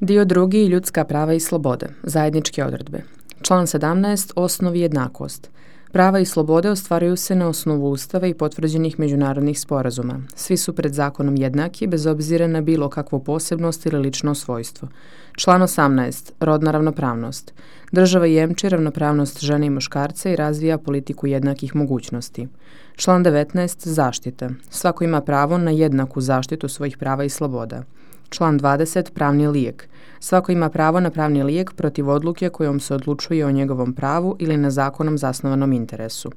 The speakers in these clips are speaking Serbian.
Dio 2. Ljudska prava i slobode. Zajedničke odredbe. Član 17. Osnov i jednakost. Prava i slobode ostvaruju se na osnovu Ustava i potvrđenih međunarodnih sporazuma. Svi su pred zakonom jednaki, bez obzira na bilo kakvu posebnost ili lično svojstvo. Član 18. Rodna ravnopravnost. Država jemči ravnopravnost žene i muškarca i razvija politiku jednakih mogućnosti. Član 19. Zaštita. Svako ima pravo na jednaku zaštitu svojih prava i sloboda. Član 20. Pravni lijek. Svako ima pravo na pravni lijek protiv odluke kojom se odlučuje o njegovom pravu ili na zakonom zasnovanom interesu.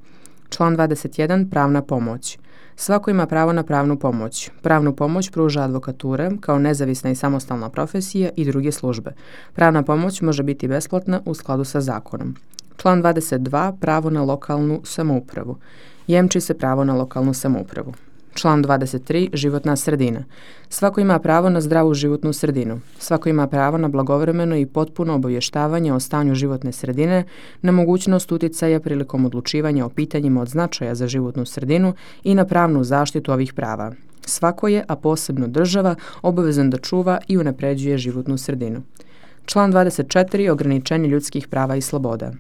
Član 21. Pravna pomoć. Svako ima pravo na pravnu pomoć. Pravnu pomoć pruža advokatura kao nezavisna i samostalna profesija i druge službe. Pravna pomoć može biti besplatna u skladu sa zakonom. Član 22. Pravo na lokalnu samoupravu. Jemči se pravo na lokalnu samoupravu. Član 23. Životna sredina. Svako ima pravo na zdravu životnu sredinu. Svako ima pravo na blagovremeno i potpuno obavještavanje o stanju životne sredine, na mogućnost uticaja prilikom odlučivanja o pitanjima od značaja za životnu sredinu i na pravnu zaštitu ovih prava. Svako je, a posebno država, obavezan da čuva i unapređuje životnu sredinu. Član 24. Ograničenje ljudskih prava i sloboda.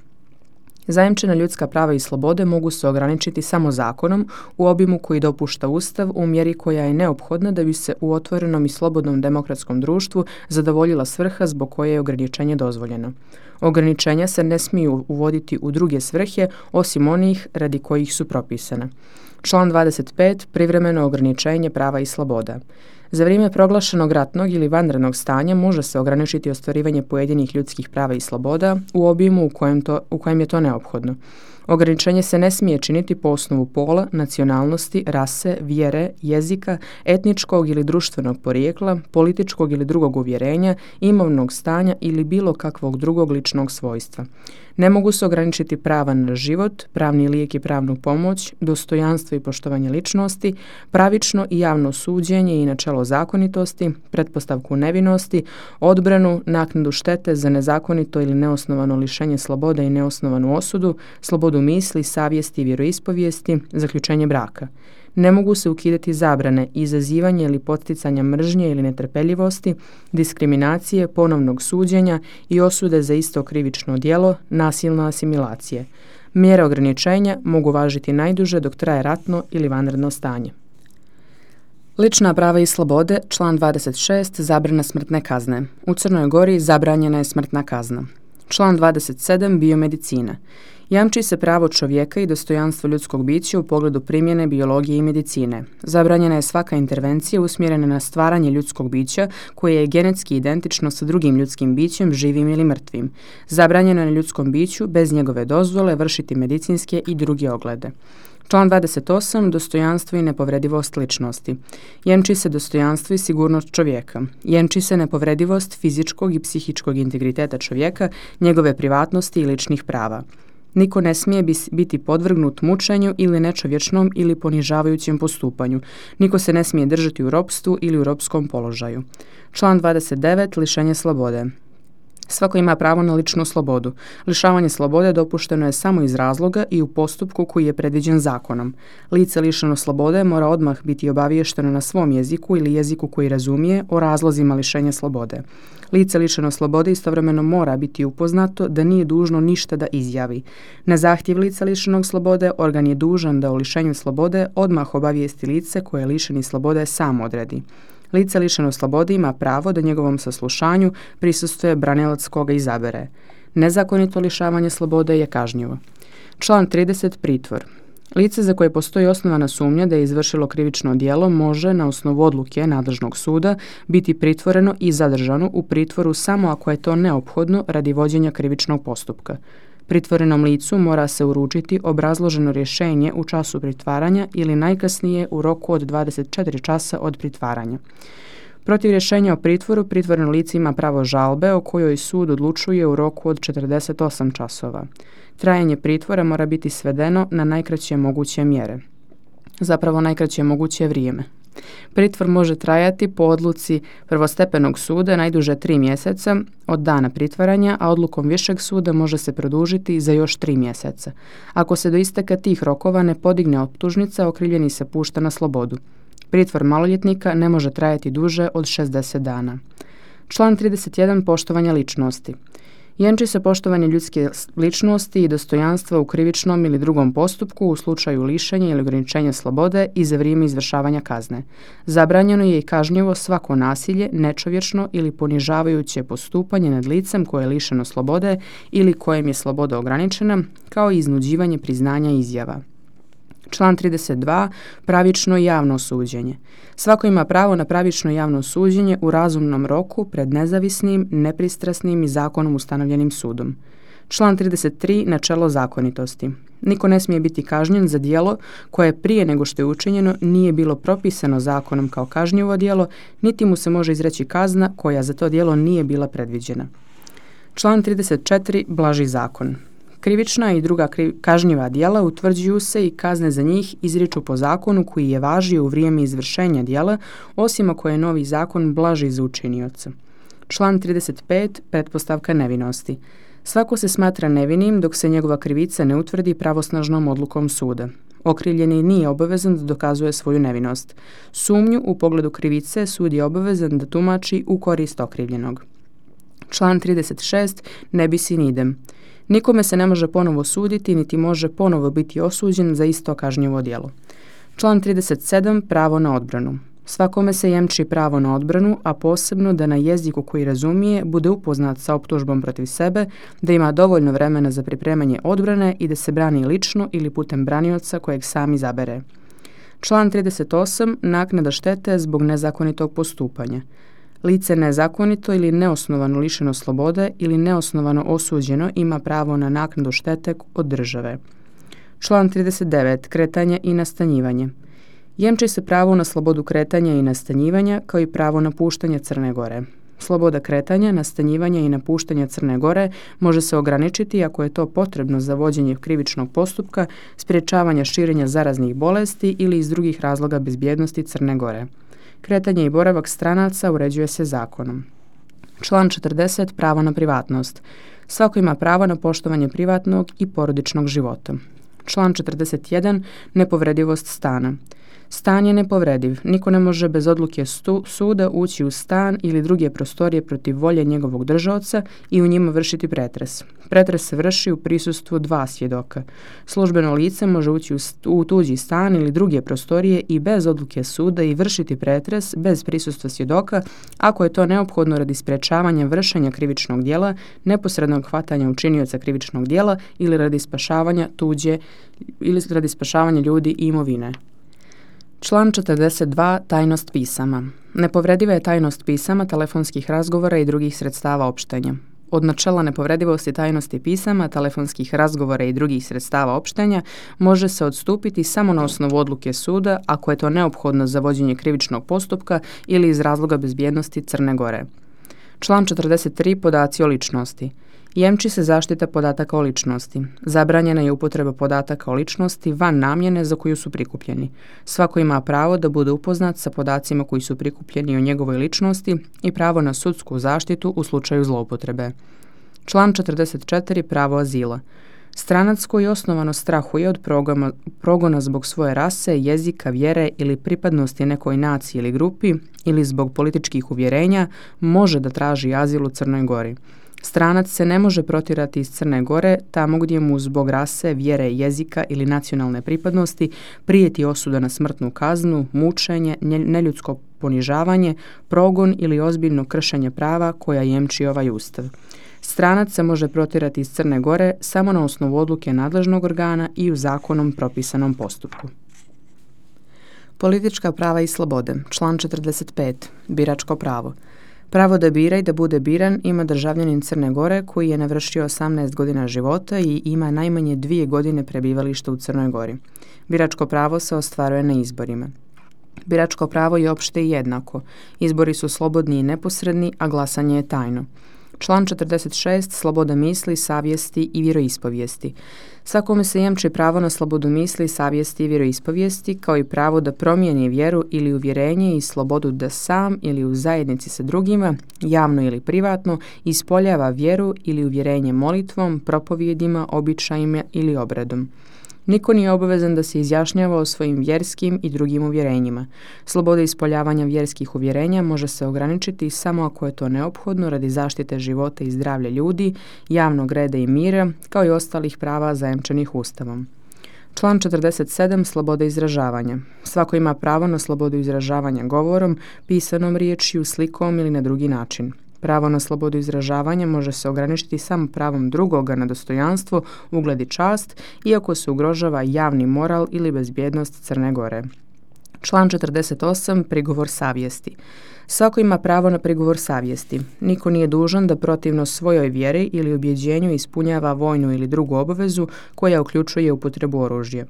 Zajamčena ljudska prava i slobode mogu se ograničiti samo zakonom u obimu koji dopušta Ustav u mjeri koja je neophodna da bi se u otvorenom i slobodnom demokratskom društvu zadovoljila svrha zbog koje je ograničenje dozvoljeno. Ograničenja se ne smiju uvoditi u druge svrhe osim onih radi kojih su propisane. Član 25. Privremeno ograničenje prava i sloboda. Za vrijeme proglašenog ratnog ili vanrednog stanja može se ograničiti ostvarivanje pojedinih ljudskih prava i sloboda u obimu u kojem je to neophodno. Ograničenje se ne smije činiti po osnovu pola, nacionalnosti, rase, vjere, jezika, etničkog ili društvenog porijekla, političkog ili drugog uvjerenja, imovnog stanja ili bilo kakvog drugog ličnog svojstva. Ne mogu se ograničiti prava na život, pravni lijek i pravnu pomoć, dostojanstvo i poštovanje ličnosti, pravično i javno suđenje i načelo zakonitosti, pretpostavku nevinosti, odbranu, naknadu štete za nezakonito ili neosnovano lišenje slobode i neosnovanu osudu, slobodu misli, savjesti i vjeroispovijesti, zaključenje braka. Ne mogu se ukidati zabrane, izazivanje ili podsticanja mržnje ili netrpeljivosti, diskriminacije, ponovnog suđenja i osude za isto krivično djelo, nasilne asimilacije. Mjere ograničenja mogu važiti najduže dok traje ratno ili vanredno stanje. Lična prava i slobode, član 26. Zabrana smrtne kazne. U Crnoj Gori zabranjena je smrtna kazna. Član 27. Biomedicina. Jamči se pravo čovjeka i dostojanstvo ljudskog bića u pogledu primjene biologije i medicine. Zabranjena je svaka intervencija usmjerena na stvaranje ljudskog bića koje je genetski identično sa drugim ljudskim bićem, živim ili mrtvim. Zabranjeno je na ljudskom biću bez njegove dozvole vršiti medicinske i druge oglede. Član 28. Dostojanstvo i nepovredivost ličnosti. Jemči se dostojanstvo i sigurnost čovjeka. Jemči se nepovredivost fizičkog i psihičkog integriteta čovjeka, njegove privatnosti i ličnih prava. Niko ne smije biti podvrgnut mučenju ili nečovječnom ili ponižavajućem postupanju. Niko se ne smije držati u ropstvu ili u ropskom položaju. Član 29. Lišenje slobode. Svako ima pravo na ličnu slobodu. Lišavanje slobode dopušteno je samo iz razloga i u postupku koji je predviđen zakonom. Lice lišeno slobode mora odmah biti obaviješteno na svom jeziku ili jeziku koji razumije o razlozima lišenja slobode. Lice lišeno slobode istovremeno mora biti upoznato da nije dužno ništa da izjavi. Na zahtjev lica lišenog slobode organ je dužan da o lišenju slobode odmah obavijesti lice koje je lišeni slobode sam odredi. Lice lišeno slobode ima pravo da njegovom saslušanju prisustvuje branilac koga izabere. Nezakonito lišavanje slobode je kažnjivo. Član 30. Pritvor. Lice za koje postoji osnovana sumnja da je izvršilo krivično djelo može, na osnovu odluke nadležnog suda, biti pritvoreno i zadržano u pritvoru samo ako je to neophodno radi vođenja krivičnog postupka. Pritvorenom licu mora se uručiti obrazloženo rješenje u času pritvaranja ili najkasnije u roku od 24 časa od pritvaranja. Protiv rješenja o pritvoru, pritvoreno lice ima pravo žalbe o kojoj sud odlučuje u roku od 48 časova. Trajanje pritvora mora biti svedeno na najkraće moguće mjere. Zapravo najkraće moguće vrijeme. Pritvor može trajati po odluci prvostepenog suda najduže 3 mjeseca od dana pritvaranja, a odlukom višeg suda može se produžiti za još 3 mjeseca. Ako se do isteka tih rokova ne podigne optužnica, okrivljeni se pušta na slobodu. Pritvor maloljetnika ne može trajati duže od 60 dana. Član 31. Poštovanje ličnosti. Jamči se poštovanje ljudske ličnosti i dostojanstva u krivičnom ili drugom postupku u slučaju lišenja ili ograničenja slobode i za vrijeme izvršavanja kazne. Zabranjeno je i kažnjivo svako nasilje, nečovječno ili ponižavajuće postupanje nad licem koje je lišeno slobode ili kojem je sloboda ograničena, kao i iznuđivanje priznanja izjava. Član 32. Pravično i javno suđenje. Svako ima pravo na pravično javno suđenje u razumnom roku pred nezavisnim, nepristrasnim i zakonom ustanovljenim sudom. Član 33. Načelo zakonitosti. Niko ne smije biti kažnjen za djelo koje prije nego što je učinjeno nije bilo propisano zakonom kao kažnjivo djelo, niti mu se može izreći kazna koja za to djelo nije bila predviđena. Član 34. Blaži zakon. Krivična i druga kažnjiva djela utvrđuju se i kazne za njih izriču po zakonu koji je važio u vrijeme izvršenja djela, osim ako je novi zakon blaži za učinioca. Član 35. Pretpostavka nevinosti. Svako se smatra nevinim dok se njegova krivica ne utvrdi pravosnažnom odlukom suda. Okrivljeni nije obavezan da dokazuje svoju nevinost. Sumnju u pogledu krivice sud je obavezan da tumači u korist okrivljenog. Član 36. Ne bis in idem. Nikome se ne može ponovo suditi, niti može ponovo biti osuđen za isto kažnjivo djelo. Član 37. Pravo na odbranu. Svakome se jamči pravo na odbranu, a posebno da na jeziku koji razumije bude upoznat sa optužbom protiv sebe, da ima dovoljno vremena za pripremanje odbrane i da se brani lično ili putem branioca kojeg sam izabere. Član 38. Naknada štete zbog nezakonitog postupanja. Lice nezakonito ili neosnovano lišeno slobode ili neosnovano osuđeno ima pravo na naknadu štete od države. Član 39. Kretanje i nastanjivanje. Jamči se pravo na slobodu kretanja i nastanjivanja kao i pravo na puštanje Crne Gore. Sloboda kretanja, nastanjivanja i napuštanja Crne Gore može se ograničiti ako je to potrebno za vođenje krivičnog postupka, sprječavanja širenja zaraznih bolesti ili iz drugih razloga bezbjednosti Crne Gore. Kretanje i boravak stranaca uređuje se zakonom. Član 40. Pravo na privatnost. Svako ima pravo na poštovanje privatnog i porodičnog života. Član 41. Nepovredivost stana. Stan je nepovrediv. Niko ne može bez odluke suda ući u stan ili druge prostorije protiv volje njegovog držaoca i u njima vršiti pretres. Pretres se vrši u prisustvu dva svjedoka. Službeno lice može ući u tuđi stan ili druge prostorije i bez odluke suda i vršiti pretres bez prisustva svjedoka ako je to neophodno radi sprječavanja vršenja krivičnog djela, neposrednog hvatanja učinioca krivičnog djela ili radi spašavanja ljudi i imovine. Član 42. Tajnost pisama. Nepovrediva je tajnost pisama, telefonskih razgovora i drugih sredstava opštenja. Od načela nepovredivosti tajnosti pisama, telefonskih razgovora i drugih sredstava opštenja može se odstupiti samo na osnovu odluke suda ako je to neophodno za vođenje krivičnog postupka ili iz razloga bezbjednosti Crne Gore. Član 43. Podaci o ličnosti. Jamči se zaštita podataka o ličnosti. Zabranjena je upotreba podataka o ličnosti van namjene za koju su prikupljeni. Svako ima pravo da bude upoznat sa podacima koji su prikupljeni o njegovoj ličnosti i pravo na sudsku zaštitu u slučaju zloupotrebe. Član 44. Pravo azila. Stranac koji osnovano strahuje od progona zbog svoje rase, jezika, vjere ili pripadnosti nekoj naciji ili grupi ili zbog političkih uvjerenja može da traži azil u Crnoj Gori. Stranac se ne može protjerati iz Crne Gore tamo gdje mu zbog rase, vjere, jezika ili nacionalne pripadnosti prijeti osuda na smrtnu kaznu, mučenje, neljudsko ponižavanje, progon ili ozbiljno kršenje prava koja jamči ovaj ustav. Stranac se može protjerati iz Crne Gore samo na osnovu odluke nadležnog organa i u zakonom propisanom postupku. Politička prava i slobode. Član 45. Biračko pravo. Pravo da bira i da bude biran ima državljanin Crne Gore koji je navršio 18 godina života i ima najmanje 2 godine prebivališta u Crnoj Gori. Biračko pravo se ostvaruje na izborima. Biračko pravo je opšte i jednako. Izbori su slobodni i neposredni, a glasanje je tajno. Član 46. Sloboda misli, savjesti i vjeroispovijesti. Svakome se jamči pravo na slobodu misli, savjesti i vjeroispovijesti, kao i pravo da promijeni vjeru ili uvjerenje i slobodu da sam ili u zajednici sa drugima, javno ili privatno, ispoljava vjeru ili uvjerenje molitvom, propovjedima, običajima ili obredom. Niko nije obavezan da se izjašnjava o svojim vjerskim i drugim uvjerenjima. Sloboda ispoljavanja vjerskih uvjerenja može se ograničiti samo ako je to neophodno radi zaštite života i zdravlja ljudi, javnog reda i mira, kao i ostalih prava zajamčenih Ustavom. Član 47. Sloboda izražavanja. Svako ima pravo na slobodu izražavanja govorom, pisanom riječju, slikom ili na drugi način. Pravo na slobodu izražavanja može se ograničiti samo pravom drugoga na dostojanstvo, ugled i čast, iako se ugrožava javni moral ili bezbjednost Crne Gore. Član 48. Prigovor savjesti. Svako ima pravo na prigovor savjesti. Niko nije dužan da protivno svojoj vjeri ili ubjeđenju ispunjava vojnu ili drugu obavezu koja uključuje upotrebu oružja.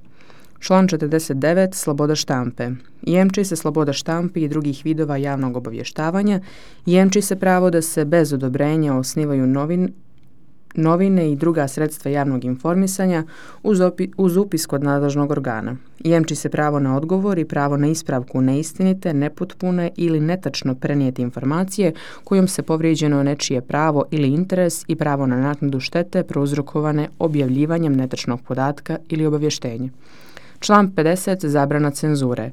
Član 49. Sloboda štampe. Jemči se sloboda štampi i drugih vidova javnog obavještavanja. Jemči se pravo da se bez odobrenja osnivaju novine i druga sredstva javnog informisanja uz upis kod nadležnog organa. Jemči se pravo na odgovor i pravo na ispravku neistinite, nepotpune ili netačno prenijete informacije kojom se povrijeđeno nečije pravo ili interes i pravo na naknadu štete prouzrokovane objavljivanjem netačnog podatka ili obavještenja. Član 50. Zabrana cenzure.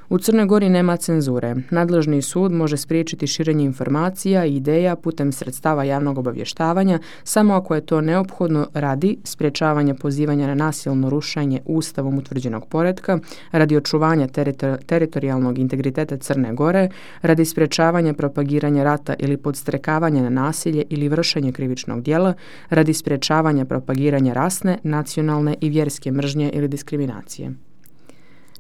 U Crnoj Gori nema cenzure. Nadležni sud može spriječiti širenje informacija i ideja putem sredstava javnog obavještavanja samo ako je to neophodno radi sprječavanja pozivanja na nasilno rušenje Ustavom utvrđenog poretka, radi očuvanja teritorijalnog integriteta Crne Gore, radi sprječavanja propagiranja rata ili podstrekavanja na nasilje ili vršenje krivičnog djela, radi sprječavanja propagiranja rasne, nacionalne i vjerske mržnje ili diskriminacije.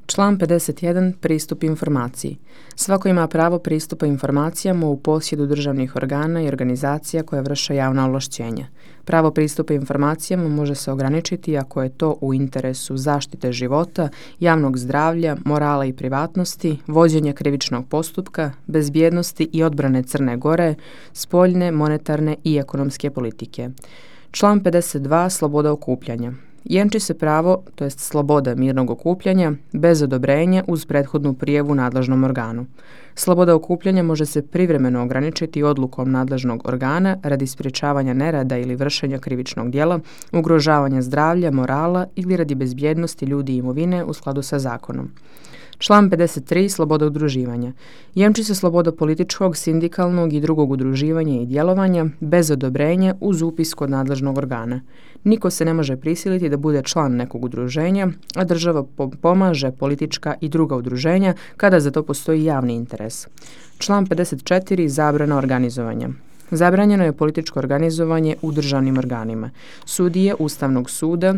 Član 51. Pristup informaciji. Svako ima pravo pristupa informacijama u posjedu državnih organa i organizacija koje vrše javna ovlašćenja. Pravo pristupa informacijama može se ograničiti ako je to u interesu zaštite života, javnog zdravlja, morala i privatnosti, vođenja krivičnog postupka, bezbjednosti i odbrane Crne Gore, spoljne, monetarne i ekonomske politike. Član 52. Sloboda okupljanja. Jemči se pravo, to jest sloboda mirnog okupljanja, bez odobrenja uz prethodnu prijavu nadležnom organu. Sloboda okupljanja može se privremeno ograničiti odlukom nadležnog organa radi sprječavanja nerada ili vršenja krivičnog djela, ugrožavanja zdravlja, morala ili radi bezbjednosti ljudi i imovine u skladu sa zakonom. Član 53. Sloboda udruživanja. Jemči se sloboda političkog, sindikalnog i drugog udruživanja i djelovanja bez odobrenja uz upis kod nadležnog organa. Niko se ne može prisiliti da bude član nekog udruženja, a država pomaže politička i druga udruženja kada za to postoji javni interes. Član 54. Zabrana organizovanja. Zabranjeno je političko organizovanje u državnim organima. Sudije Ustavnog suda,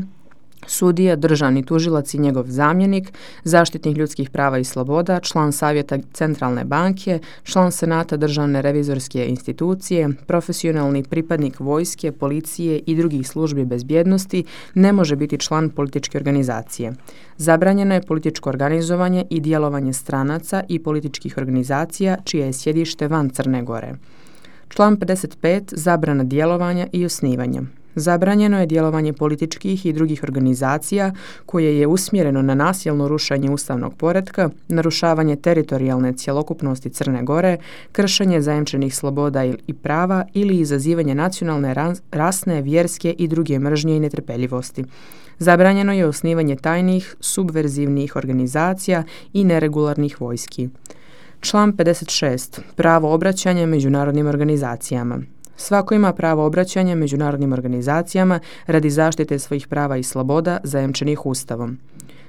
sudija, državni tužilac i njegov zamjenik, zaštitnik ljudskih prava i sloboda, član Savjeta Centralne banke, član Senata Državne revizorske institucije, profesionalni pripadnik vojske, policije i drugih službi bezbjednosti ne može biti član političke organizacije. Zabranjeno je političko organizovanje i djelovanje stranaca i političkih organizacija čije je sjedište van Crne Gore. Član 55. Zabrana djelovanja i osnivanja. Zabranjeno je djelovanje političkih i drugih organizacija koje je usmjereno na nasilno rušenje ustavnog poretka, narušavanje teritorijalne cjelokupnosti Crne Gore, kršenje zajamčenih sloboda i prava ili izazivanje nacionalne, rasne, vjerske i druge mržnje i netrpeljivosti. Zabranjeno je osnivanje tajnih, subverzivnih organizacija i neregularnih vojski. Član 56. Pravo obraćanja međunarodnim organizacijama. Svako ima pravo obraćanja međunarodnim organizacijama radi zaštite svojih prava i sloboda zajamčenih Ustavom.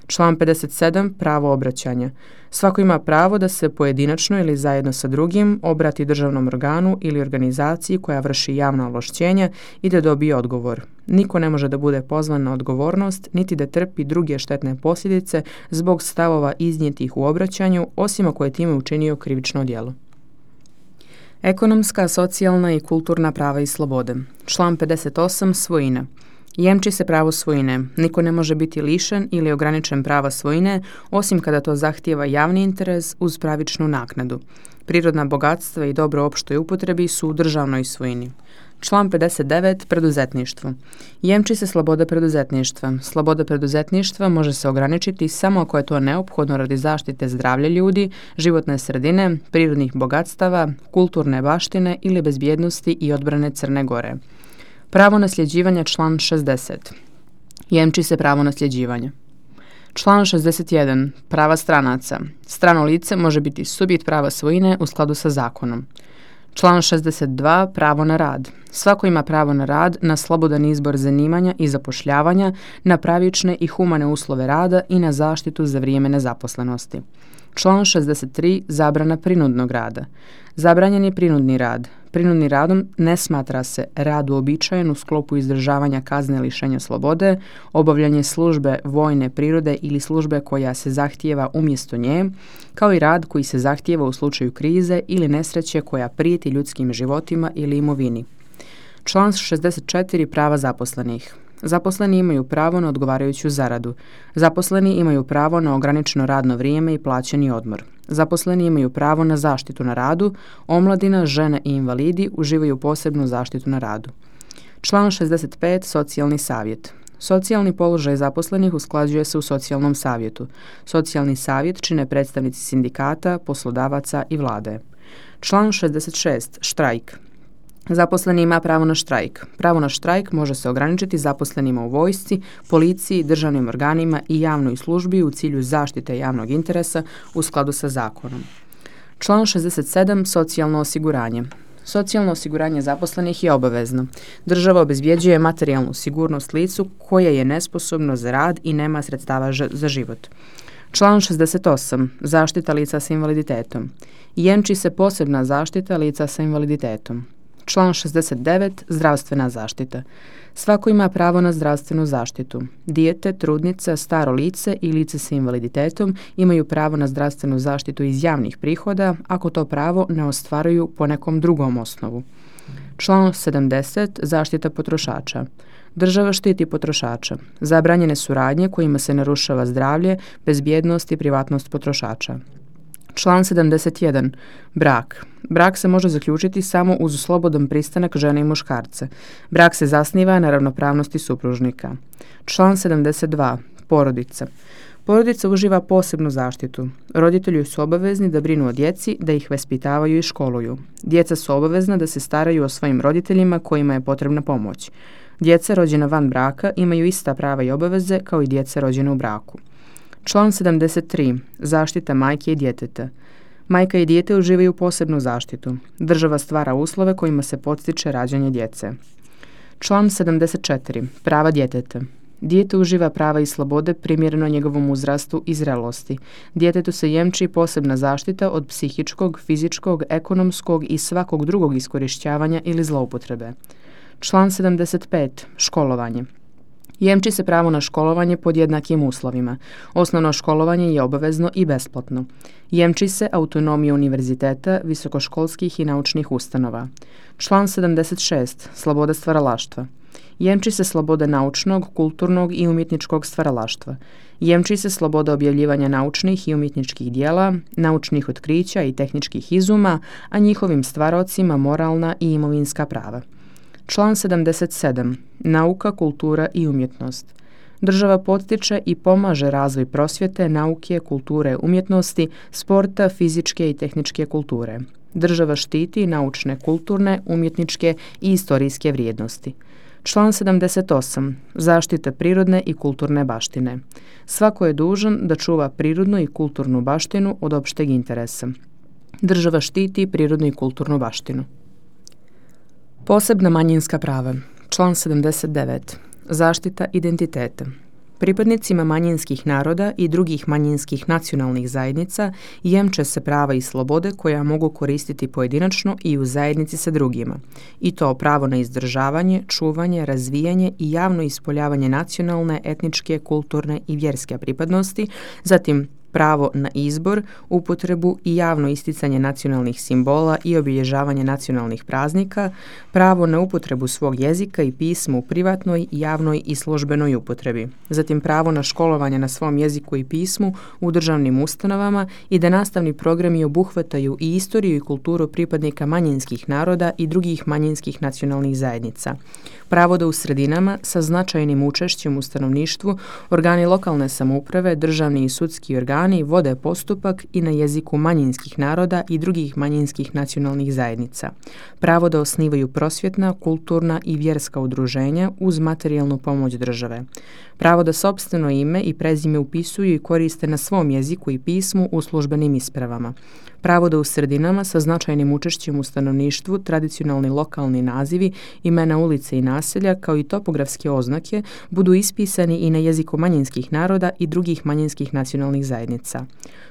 Član 57. Pravo obraćanja. Svako ima pravo da se pojedinačno ili zajedno sa drugim obrati državnom organu ili organizaciji koja vrši javna ovlašćenja i da dobije odgovor. Niko ne može da bude pozvan na odgovornost niti da trpi druge štetne posljedice zbog stavova iznijetih u obraćanju, osim ako je time učinio krivično djelo. Ekonomska, socijalna i kulturna prava i slobode. Član 58. Svojina. Jemči se pravo svojine. Niko ne može biti lišen ili ograničen prava svojine, osim kada to zahtijeva javni interes uz pravičnu naknadu. Prirodna bogatstva i dobro opštoj upotrebi su u državnoj svojini. Član 59. Preduzetništvo. Jemči se sloboda preduzetništva. Sloboda preduzetništva može se ograničiti samo ako je to neophodno radi zaštite zdravlja ljudi, životne sredine, prirodnih bogatstava, kulturne baštine ili bezbjednosti i odbrane Crne Gore. Pravo nasljeđivanja. Član 60. Jemči se pravo nasljeđivanja. Član 61. Prava stranaca. Strano lice može biti subjekt prava svojine u skladu sa zakonom. Član 62. Pravo na rad. Svako ima pravo na rad, na slobodan izbor zanimanja i zapošljavanja, na pravične i humane uslove rada i na zaštitu za vrijeme nezaposlenosti. Član 63. Zabrana prinudnog rada. Zabranjen je prinudni rad. Prinudni radom ne smatra se rad uobičajen u sklopu izdržavanja kazne lišenja slobode, obavljanje službe vojne prirode ili službe koja se zahtijeva umjesto nje, kao i rad koji se zahtijeva u slučaju krize ili nesreće koja prijeti ljudskim životima ili imovini. Član 64. Prava zaposlenih. Zaposleni imaju pravo na odgovarajuću zaradu. Zaposleni imaju pravo na ograničeno radno vrijeme i plaćeni odmor. Zaposleni imaju pravo na zaštitu na radu. Omladina, žene i invalidi uživaju posebnu zaštitu na radu. Član 65. Socijalni savjet. Socijalni položaj zaposlenih usklađuje se u socijalnom savjetu. Socijalni savjet čine predstavnici sindikata, poslodavaca i vlade. Član 66. Štrajk. Zaposleni ima pravo na štrajk. Pravo na štrajk može se ograničiti zaposlenima u vojsci, policiji, državnim organima i javnoj službi u cilju zaštite javnog interesa u skladu sa zakonom. Član 67. Socijalno osiguranje. Socijalno osiguranje zaposlenih je obavezno. Država obezbjeđuje materijalnu sigurnost licu koje je nesposobno za rad i nema sredstava za život. Član 68. Zaštita lica sa invaliditetom. Jamči se posebna zaštita lica sa invaliditetom. Član 69. Zdravstvena zaštita. Svako ima pravo na zdravstvenu zaštitu. Dijete, trudnica, staro lice i lice sa invaliditetom imaju pravo na zdravstvenu zaštitu iz javnih prihoda ako to pravo ne ostvaruju po nekom drugom osnovu. Član 70. Zaštita potrošača. Država štiti potrošača. Zabranjene su radnje kojima se narušava zdravlje, bezbjednost i privatnost potrošača. Član 71. Brak. Brak se može zaključiti samo uz slobodan pristanak žene i muškarca. Brak se zasniva na ravnopravnosti supružnika. Član 72. Porodica. Porodica uživa posebnu zaštitu. Roditelji su obavezni da brinu o djeci, da ih vaspitavaju i školuju. Djeca su obavezna da se staraju o svojim roditeljima kojima je potrebna pomoć. Djeca rođena van braka imaju ista prava i obaveze kao i djeca rođena u braku. Član 73. Zaštita majke i djeteta. Majka i dijete uživaju posebnu zaštitu. Država stvara uslove kojima se podstiče rađanje djece. Član 74. Prava djeteta. Dijete uživa prava i slobode primjereno njegovom uzrastu i zrelosti. Djetetu se jamči posebna zaštita od psihičkog, fizičkog, ekonomskog i svakog drugog iskorištavanja ili zloupotrebe. Član 75. Školovanje. Jamči se pravo na školovanje pod jednakim uslovima. Osnovno školovanje je obavezno i besplatno. Jamči se autonomija univerziteta, visokoškolskih i naučnih ustanova. Član 76. Sloboda stvaralaštva. Jamči se sloboda naučnog, kulturnog i umjetničkog stvaralaštva. Jamči se sloboda objavljivanja naučnih i umjetničkih dijela, naučnih otkrića i tehničkih izuma, a njihovim stvaraocima moralna i imovinska prava. Član 77. Nauka, kultura i umjetnost. Država podstiče i pomaže razvoj prosvjete, nauke, kulture, umjetnosti, sporta, fizičke i tehničke kulture. Država štiti naučne, kulturne, umjetničke i istorijske vrijednosti. Član 78. Zaštita prirodne i kulturne baštine. Svako je dužan da čuva prirodnu i kulturnu baštinu od opšteg interesa. Država štiti prirodnu i kulturnu baštinu. Posebna manjinska prava. Član 79. Zaštita identiteta. Pripadnicima manjinskih naroda i drugih manjinskih nacionalnih zajednica jamče se prava i slobode koja mogu koristiti pojedinačno i u zajednici sa drugima. I to pravo na izdržavanje, čuvanje, razvijanje i javno ispoljavanje nacionalne, etničke, kulturne i vjerske pripadnosti, zatim pravo na izbor, upotrebu i javno isticanje nacionalnih simbola i obilježavanje nacionalnih praznika, pravo na upotrebu svog jezika i pisma u privatnoj, javnoj i službenoj upotrebi, zatim pravo na školovanje na svom jeziku i pismu u državnim ustanovama i da nastavni programi obuhvataju i istoriju i kulturu pripadnika manjinskih naroda i drugih manjinskih nacionalnih zajednica. Pravo da u sredinama sa značajnim učešćem u stanovništvu organi lokalne samouprave, državni i sudski organi organi vode postupak i na jeziku manjinskih naroda i drugih manjinskih nacionalnih zajednica. Pravo da osnivaju prosvjetna, kulturna i vjerska udruženja uz materijalnu pomoć države. Pravo da sopstveno ime i prezime upisuju i koriste na svom jeziku i pismu u službenim ispravama. Pravo da u sredinama sa značajnim učešćem u stanovništvu tradicionalni lokalni nazivi, imena ulice i naselja kao i topografske oznake budu ispisani i na jeziku manjinskih naroda i drugih manjinskih nacionalnih zajednica.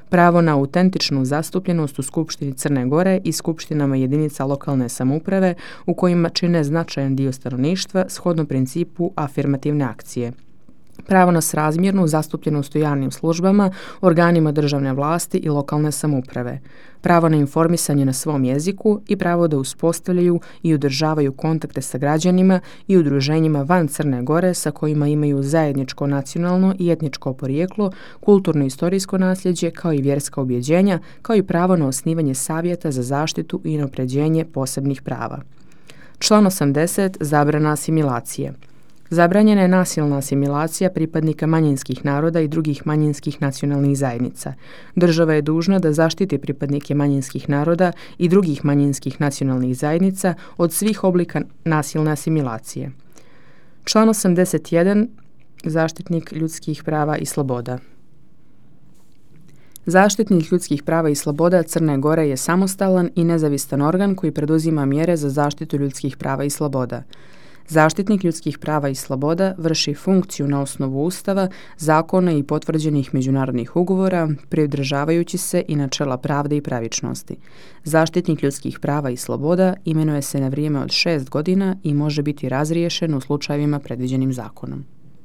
Pravo na autentičnu zastupljenost u Skupštini Crne Gore i skupštinama jedinica lokalne samouprave u kojima čine značajan dio stanovništva shodno principu afirmativne akcije. Pravo na srazmjernu zastupljenost u javnim službama, organima državne vlasti i lokalne samouprave. Pravo na informisanje na svom jeziku i pravo da uspostavljaju i održavaju kontakte sa građanima i udruženjima van Crne Gore sa kojima imaju zajedničko nacionalno i etničko porijeklo, kulturno-istorijsko nasljeđe kao i vjerska ubjeđenja, kao i pravo na osnivanje savjeta za zaštitu i unapređenje posebnih prava. Član 80. Zabrana asimilacije. Zabranjena je nasilna asimilacija pripadnika manjinskih naroda i drugih manjinskih nacionalnih zajednica. Država je dužna da zaštiti pripadnike manjinskih naroda i drugih manjinskih nacionalnih zajednica od svih oblika nasilne asimilacije. Član 81. Zaštitnik ljudskih prava i sloboda. Zaštitnik ljudskih prava i sloboda Crne Gore je samostalan i nezavisan organ koji preduzima mjere za zaštitu ljudskih prava i sloboda. Zaštitnik ljudskih prava i sloboda vrši funkciju na osnovu Ustava, zakona i potvrđenih međunarodnih ugovora, pridržavajući se i načela pravde i pravičnosti. Zaštitnik ljudskih prava i sloboda imenuje se na vrijeme od 6 godina i može biti razriješen u slučajevima predviđenim zakonom.